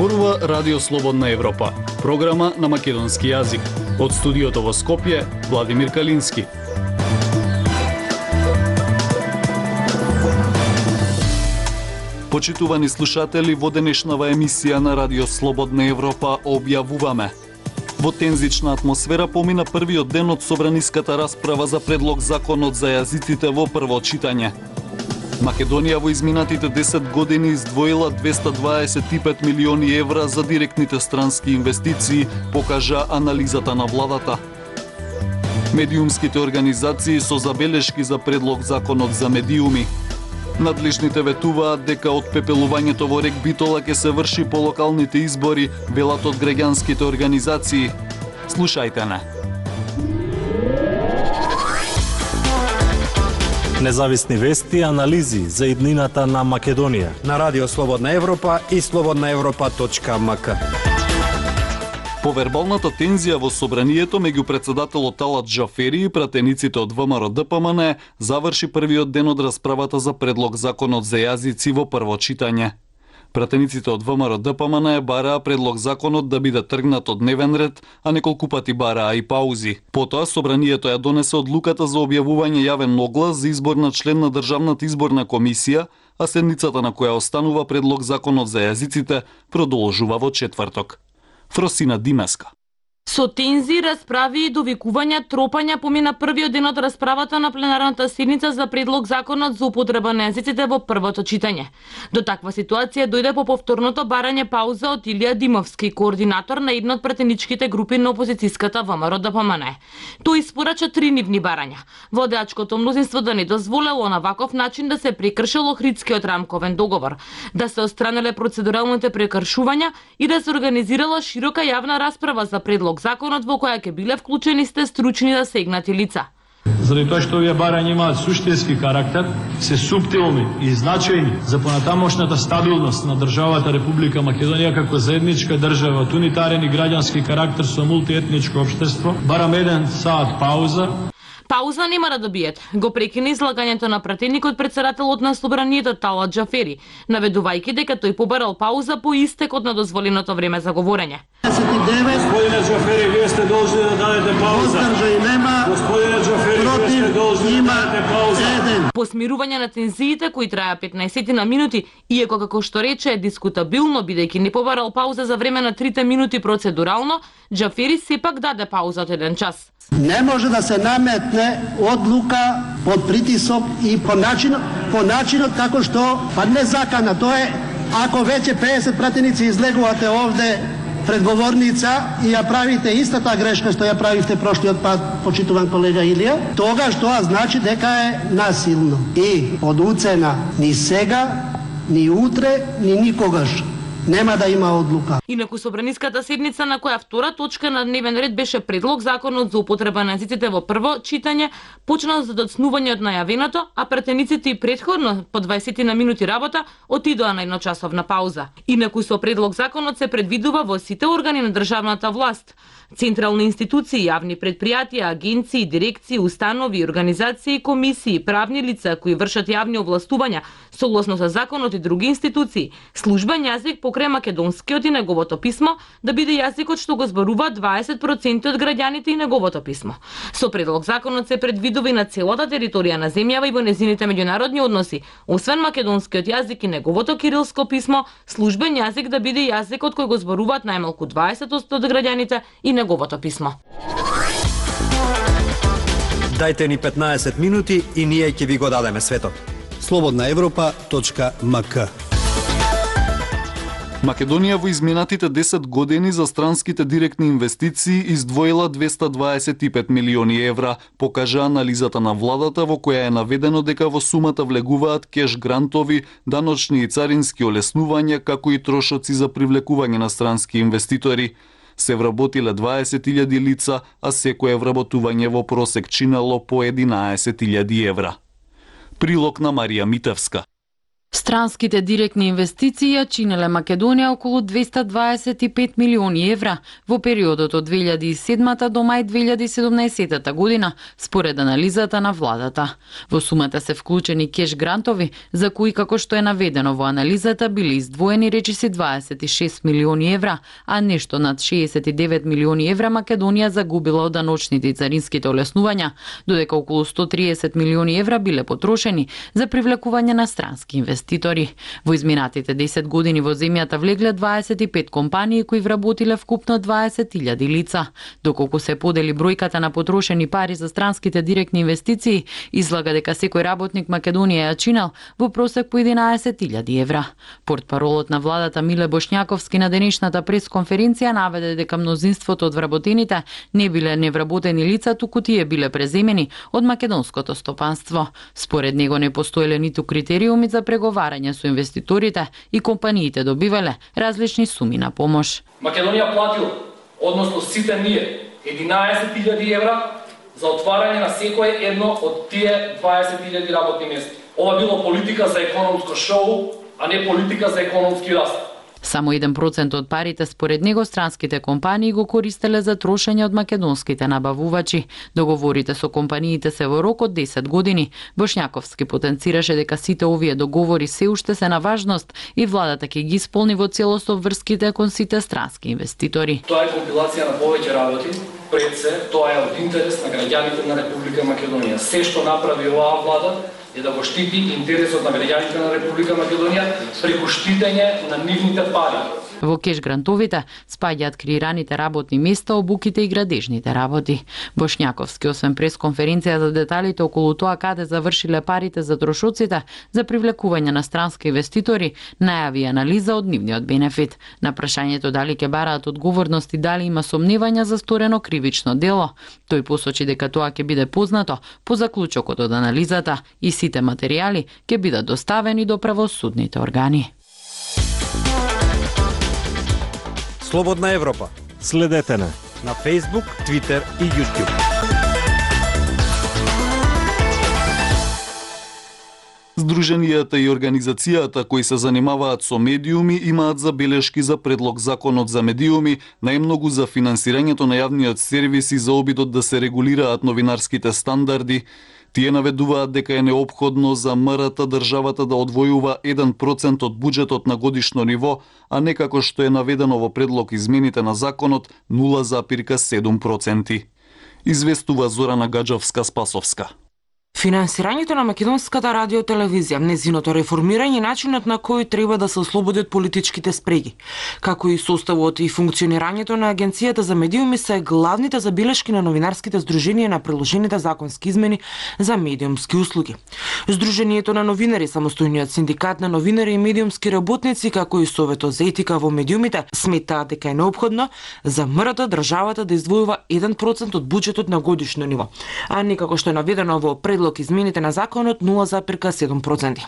Зборува Радио Слободна Европа, програма на македонски јазик. Од студиото во Скопје, Владимир Калински. Почитувани слушатели, во денешнава емисија на Радио Слободна Европа објавуваме: во тензична атмосфера помина првиот ден од собраниската расправа за предлог законот за јазиците во прво читање. Македонија во изминатите 10 години издвоила 225 милиони евра за директните странски инвестиции, покажа анализата на владата. Медиумските организации со забелешки за предлог законот за медиуми. Надлежните ветуваат дека отпепелувањето во рек Битола ќе се врши по локалните избори, велат од граѓанските организации. Слушајте не. Независни вести и анализи за иднината на Македонија на Радио Слободна Европа и slobodnaevropa.mk. По вербалната тензија во собранието меѓу председателот Талат Джафери и пратениците од ВМРО-ДПМН заврши првиот ден од расправата за предлог законот за јазици во прво читање. Пратениците од ВМРО-ДПМН бараа предлог законот да биде тргнат од дневен ред, а неколку пати бараа и паузи. Потоа собранието ја донесе одлуката за објавување јавен оглас за избор на член на Државната изборна комисија, а седницата на која останува предлог законот за јазиците продолжува во четврток. Фросина Димеска. Со тензи, расправи и довикувања, тропања помина првиот ден од расправата на пленарната седница за предлог законот за употреба на јазиците во првото читање. До таква ситуација дојде по повторното барање пауза од Илија Димовски, координатор на една од пратеничките групи на опозицијската ВМРО-ДПМН. Тој испорача 3 нивни барања. Водачкото мнозинство да не дозволело на ваков начин да се прекршил Охридскиот рамковен договор, да се отстранеле процедуралните прекршувања и да се организирала широка јавна расправа за предлог законот во која ќе биле вклучени сте стручни да сегнати лица. Заради тоа што овие барања имаат суштински карактер, се суптилни и значајни за понатамошната стабилност на државата Република Македонија како заедничка држава од унитарен и граѓански карактер со мултиетничко општество, барам 1 сат пауза. Пауза нема да добиете. Го прекина излагањето на пратеникот председателот на собранието Талат Джафери, наведувајќи дека тој побарал пауза по истекот на дозволеното време за говорење. Господине Джафери, вие сте должни да дадете пауза. Господине Джафери, вие сте должни да дадете пауза. По смирување на тензиите кои траја 15 на минути, иако како што рече е дискутабилно бидејќи не побарал пауза за време на 3 минути процедурално, Джафери сепак даде пауза од 1 час. Не може да се наметне одлука под притисок и по начинот како што не закана. Тоа е ако веќе 50 пратеници излегувате овде пред говорница и ја правите истата грешка што ја правивте прошлиот пат, почитуван колега Илија, тогаш тоа значи дека е насилно. И од уцена ни сега, ни утре, ни никогаш нема да има одлука. Инаку собраниската седница на која втора точка на дневен ред беше предлог законот за употреба на јазиците во прво читање, почна за доцнување од најавеното, а пратениците и претходно по 20 на минути работа отидоа на едночасовна пауза. Инаку со предлог законот се предвидува во сите органи на државната власт, централни институции, јавни предпријатија, агенции, дирекции, установи, организации, комисии, правни лица кои вршат јавни овластувања согласно со законот и други институции, службен јазик покрај македонскиот и неговото писмо да биде јазикот што го зборуваат 20% од граѓаните и неговото писмо. Со предлог законот се предвидува и на целата територија на земјава и во незините меѓународни односи, освен македонскиот јазик и неговото кирилско писмо, службен јазик да биде јазикот кој го зборуваат најмалку 20% од граѓаните и неговото писмо. Дајте ни 15 минути и ние ќе ви го дадеме светот. slobodnaevropa.mk. Македонија во изминатите 10 години за странските директни инвестиции издвоила 225 милиони евра, покажа анализата на владата во која е наведено дека во сумата влегуваат кеш грантови, даночни и царински олеснувања, како и трошоци за привлекување на странски инвеститори. Се вработиле 20.000 лица, а секое вработување во просек чинело по 11.000 евра. Прилог на Марија Митевска. Странските директни инвестиции ја чинеле Македонија околу 225 милиони евра во периодот од 2007 до мај 2017 година, според анализата на владата. Во сумата се вклучени кеш грантови, за кои, како што е наведено во анализата, били издвоени речиси 26 милиони евра, а нешто над 69 милиони евра Македонија загубила од даночните и царинските олеснувања, додека околу 130 милиони евра биле потрошени за привлекување на странски инвестиции. Во изминатите 10 години во земјата влегле 25 компании кои вработиле вкупно 20.000 лица. Доколку се подели бројката на потрошени пари за странските директни инвестиции, излага дека секој работник Македонија ја чинел во просек по 11.000 евра. Портпаролот на владата Миле Бошњаковски на денешната пресконференција наведе дека мнозинството од вработените не биле невработени лица, туку тие биле преземени од македонското стопанство. Според него не постоеле ниту критериуми за преговарање со инвеститорите и компаниите добивале различни суми на помош. Македонија платила, односно сите ние, 11.000 евра за отварање на секое едно од тие 20.000 работни места. Ова било политика за економско шоу, а не политика за економски раст. Само 1% од парите според него странските компании го користеле за трошење од македонските набавувачи. Договорите со компаниите се во рок од 10 години. Бошњаковски потенцираше дека сите овие договори се уште се на важност и владата ќе ги исполни во целост обврските кон сите странски инвеститори. Тоа е компилација на повеќе работи, пред се тоа е од интерес на граѓаните на Република Македонија. Се што направи оваа влада е да го штити интересот на граѓаните на Република Македонија преку штитење на нивните пари. Во кеш грантовите спаѓаат креираните работни места, обуките и градежните работи. Бошњаковски, освен пресконференција за деталите околу тоа каде завршиле парите за трошоците за привлекување на странски инвеститори, најави анализа од нивниот бенефит. На прашањето дали ќе бараат одговорност и дали има сомневања за сторено кривично дело, тој посочи дека тоа ќе биде познато по заклучокот од анализата и сите материјали ќе бидат доставени до правосудните органи. Слободна Европа. Следете на Facebook, Twitter и YouTube. Здруженијата и организацијата кои се занимаваат со медиуми имаат забелешки за предлог законот за медиуми, најмногу за финансирањето на јавниот сервис и за обидот да се регулираат новинарските стандарди. Тие наведуваат дека е неопходно за МРТ државата да одвојува 1% од буџетот на годишно ниво, а не како што е наведено во предлог измените на законот 0,7%. Известува Зорана Гаджовска-Спасовска. Финансирањето на македонската радиотелевизија, незиното реформирање и начинот на кој треба да се ослободат политичките спреги, како и составот и функционирањето на Агенцијата за медиуми се главните забелешки на новинарските здруженија на приложените законски измени за медиумски услуги. Здруженијето на новинари, самостојниот синдикат на новинари и медиумски работници, како и Советот за етика во медиумите, сметаат дека е неопходно за МРТ државата да издвојува 1% од буџетот на годишно ниво, а не како што е наведено во предлог измените на законот 0,7%.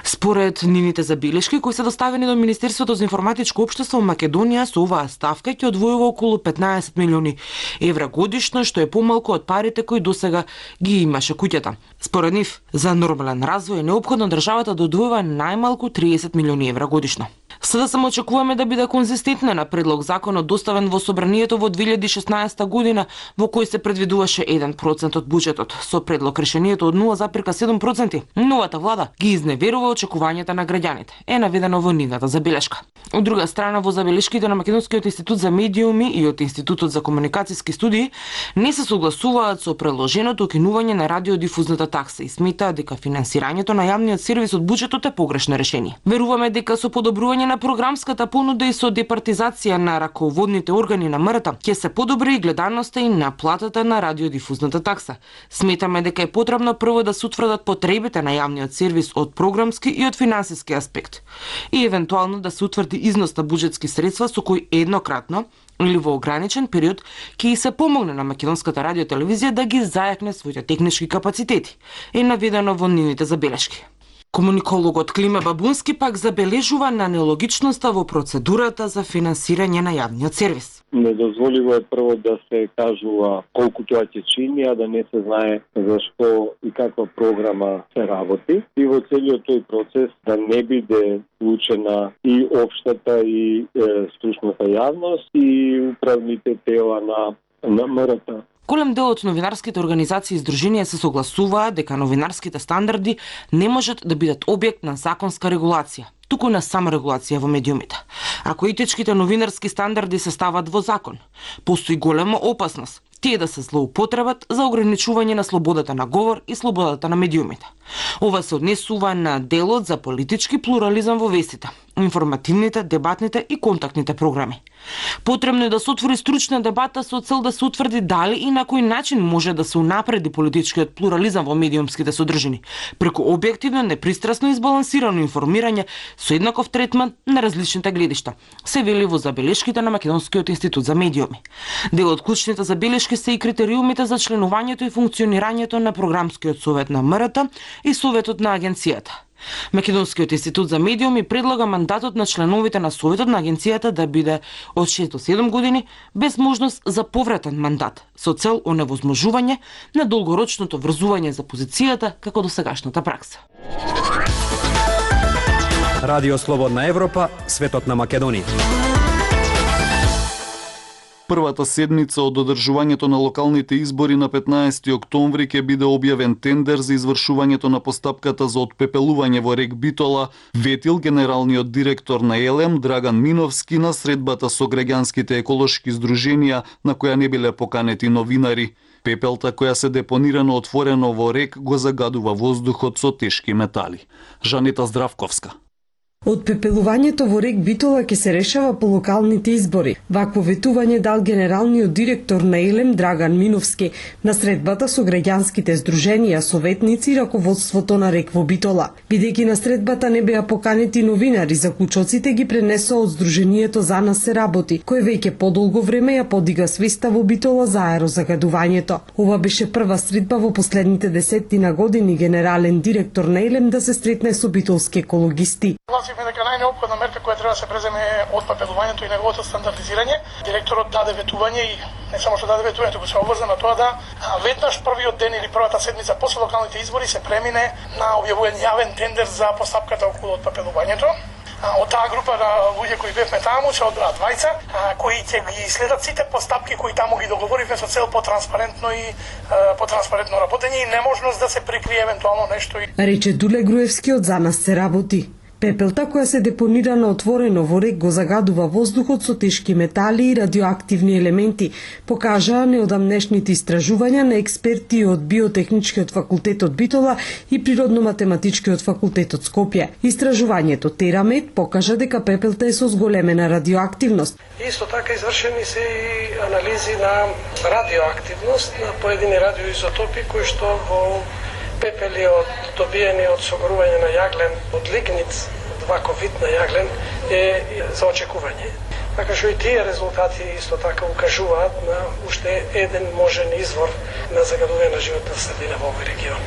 Според нивните забелешки кои се доставени до Министерството за информатичко општество, Македонија со оваа ставка ќе одвојува околу 15 милиони евра годишно, што е помалку од парите кои досега ги имаше куќата. Според нив, за нормален развој е неопходно државата да одвојува најмалку 30 милиони евра годишно. Сега само очекуваме да биде конзистентна на предлог законот доставен во собранието во 2016 година, во кој се предвидуваше 1% од буџетот. Со предлог решението од 0,7%, новата влада ги изневерува очекувањата на граѓаните, е наведено во нивната забелешка. Од друга страна, во забелешките на Македонскиот институт за медиуми и од Институтот за комуникацијски студии не се согласуваат со предложеното укинување на радиодифузната такса и сметаат дека финансирањето на јавниот сервис од буџетот е погрешно решение. Веруваме дека со подобрување на програмската понуда и со департизација на раководните органи на МРТ ќе се подобри и гледаноста и наплатата на радиодифузната такса. Сметаме дека е потребно прво да се утврдат потребите на јавниот сервис од програмски и од финансиски аспект и евентуално да се утврди износ на буџетски средства со кои еднократно или во ограничен период ќе се помогне на македонската радиотелевизија да ги зајакне своите технички капацитети, е наведено во нивните забелешки. Комуникологот Климе Бабунски пак забележува на нелогичноста во процедурата за финансирање на јавниот сервис. Недозволиво е прво да се кажува колку тоа ќе чини, а да не се знае зашто и каква програма се работи. И во целиот тој процес да не биде вклучена и општата и стручната јавност и управните тела на МРТ. Голем дел од новинарските организации и здруженија се согласуваат дека новинарските стандарди не можат да бидат објект на законска регулација, туку на саморегулација во медиумите. Ако етичките новинарски стандарди се стават во закон, постои голема опасност тие да се злоупотребат за ограничување на слободата на говор и слободата на медиумите. Ова се однесува на делот за политички плурализам во вестите, информативните, дебатните и контактните програми. Потребно е да се отвори стручна дебата со цел да се утврди дали и на кој начин може да се унапреди политичкиот плурализам во медиумските содржини, преку објективно, непристрасно и избалансирано информирање со еднаков третман на различните гледишта, се вели во забелешките на Македонскиот институт за медиуми. Дел од клучните забелешки се и критериумите за членувањето и функционирањето на програмскиот совет на МРТ и советот на агенцијата. Македонскиот институт за медиуми предлага мандатот на членовите на советот на агенцијата да биде од 6 до 7 години без можност за повратен мандат, со цел оневозможување на долгорочното врзување за позицијата како досегашната пракса. Радио Слободна Европа, светот на Македонија. Првата седмица од одржувањето на локалните избори на 15 октомври ќе биде објавен тендер за извршувањето на постапката за отпепелување во рек Битола, ветил генералниот директор на ЕЛЕМ Драган Миновски на средбата со граѓанските еколошки здруженија на која не биле поканети новинари. Пепелта која се депонира на отворено во рек го загадува воздухот со тешки метали. Жанета Здравковска. Отпепелувањето во рек Битола ќе се решава по локалните избори. Вакво ветување дал генералниот директор на ЕЛЕМ Драган Миновски на средбата со граѓанските здруженија, советници и раководството на рек во Битола. Бидејќи на средбата не беа поканети новинари, заклучоците ги пренесоа од здруженијето За нас се работи, кој веќе подолго време ја подига свеста во Битола за аерозагадувањето. Ова беше прва средба во последните десетина години генерален директор на ЕЛЕМ да се сретне со битолски екологисти. Согласивме дека најнеопходна мерка која треба да се преземе е отпепелувањето и неговото стандардизирање. Директорот даде ветување и не само што даде ветување, туку се обврза на тоа да веднаш првиот ден или првата седмица после локалните избори се премине на објавување јавен тендер за постапката околу отпепелувањето. Од таа група на луѓе кои бевме таму се одбраа двајца, кои ќе ги следат сите постапки кои таму ги договоривме со цел потранспарентно и потранспарентно работење и неможност да се прикрие евентуално нешто. Рече Дуле Груевски од За нас се работи. Пепелта која се депонира на отворено во рек го загадува воздухот со тешки метали и радиоактивни елементи, покажаа неодамнешните истражувања на експерти од Биотехничкиот факултет од Битола и Природно-математичкиот факултет од Скопје. Истражувањето Терамет покажа дека пепелта е со зголемена радиоактивност. Исто така извршени се и анализи на радиоактивност на поедини радиоизотопи кои што во пепели добиени од согорување на јаглен од лигнит, ваков вид на јаглен, е за очекување. Така што и тие резултати исто така укажуваат на уште еден можен извор на загадување на животна средина во овој регион.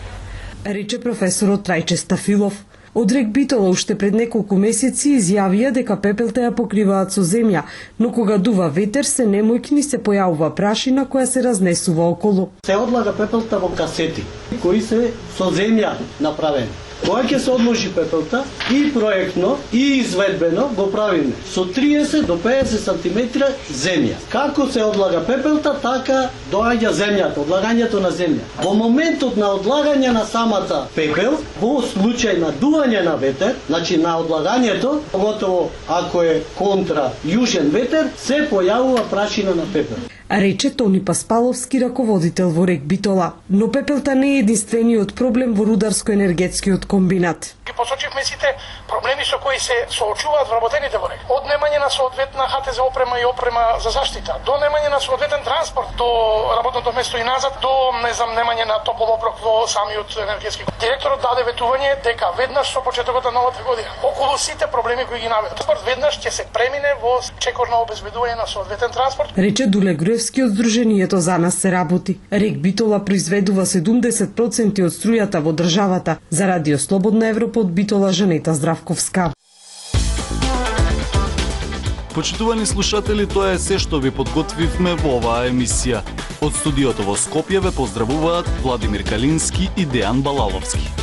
Рече професорот Трајче Стафилов. Од рек Битола уште пред неколку месеци изјавија дека пепелта ја покриваат со земја, но кога дува ветер се немојкни се појавува прашина која се разнесува околу. Се одлага пепелта во касети, кои се со земја направени. Кога ќе се одложи пепелта и проектно и изведбено го правиме со 30 до 50 сантиметра земја. Како се одлага пепелта, така доаѓа земјата, одлагањето на земја. Во моментот на одлагање на самата пепел, во случај на дување на ветер, значи на одлагањето, поготово ако е контра јужен ветер, се појавува прашина на пепел. Рече Тони Паспаловски, раководител во рек Битола. Но пепелта не е единствениот проблем во рударско-енергетскиот комбинат. Ги посочихме сите проблеми со кои се соочуваат вработените во рек. Од немање на соодветна ХТЗ опрема и опрема за заштита, до немање на соодветен транспорт до работното место и назад, до немање на топол оброк во самиот енергетски. Директорот даде ветување дека веднаш со почетокот на новата година, околу сите проблеми кои ги наведува, веднаш ќе се премине во чекор на обезбедување на соодветен транспорт. Рече Дуле Груевски Милевски од Сдруженијето За нас се работи. РЕК Битола произведува 70% од струјата во државата. За Радио Слободна Европа од Битола Жанета Здравковска. Почитувани слушатели, тоа е се што ви подготвивме во оваа емисија. Од студиото во Скопје ве поздравуваат Владимир Калински и Дејан Балаловски.